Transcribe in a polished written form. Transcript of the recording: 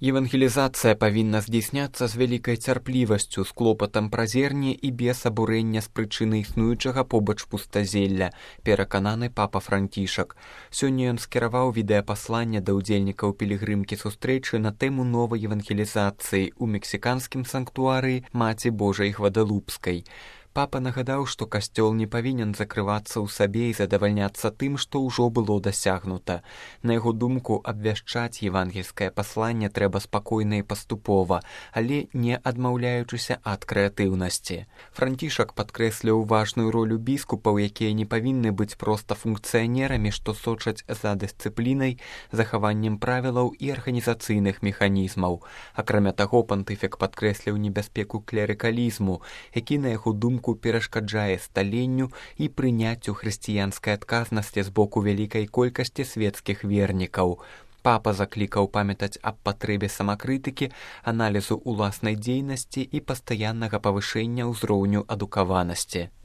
Евангелізацыя павінна здзейсняцца з вялікай цярплівасцю, з клопатам пра зерне і без абурэння з прычыны існуючага побач пустазелля, перакананы папа Францішак. Сёння ён скіраваў відэапасланне да ўдзельнікаў пілігрымкі сустрэчы на тэму новай евангелізацыі ў мексіканскім санктуарыі Маці Божай Гвадалупскай. Папа нагадаў, што касцёл не павінен закрывацца ў сабе і задавальняцца тым, што ўжо было дасягнута. На яго думку, абвяшчаць евангельскае пасланне трэба спакойна і паступова, але не адмаўляючыся ад крэатыўнасці. Францішак падкрэсліў важную ролю біскупаў, якія не павінны быць проста функцыянерамі, што сочаць за дысцыплінай, захаваннем правілаў і арганізацыйных механізмаў. Акрамя таго, пантыфік падкрэсліў небяспеку клерыкалізму, які, на яго думку, перашкаджае сталенню і прыняццю хрысціянскай адказнасці з боку вялікай колькасці свецкіх вернікаў. Папа заклікаў памятаць аб патрэбе самакрытыкі, аналізу ўласнай дзейнасці і пастаяннага павышэння ўзроўню адукаванасці.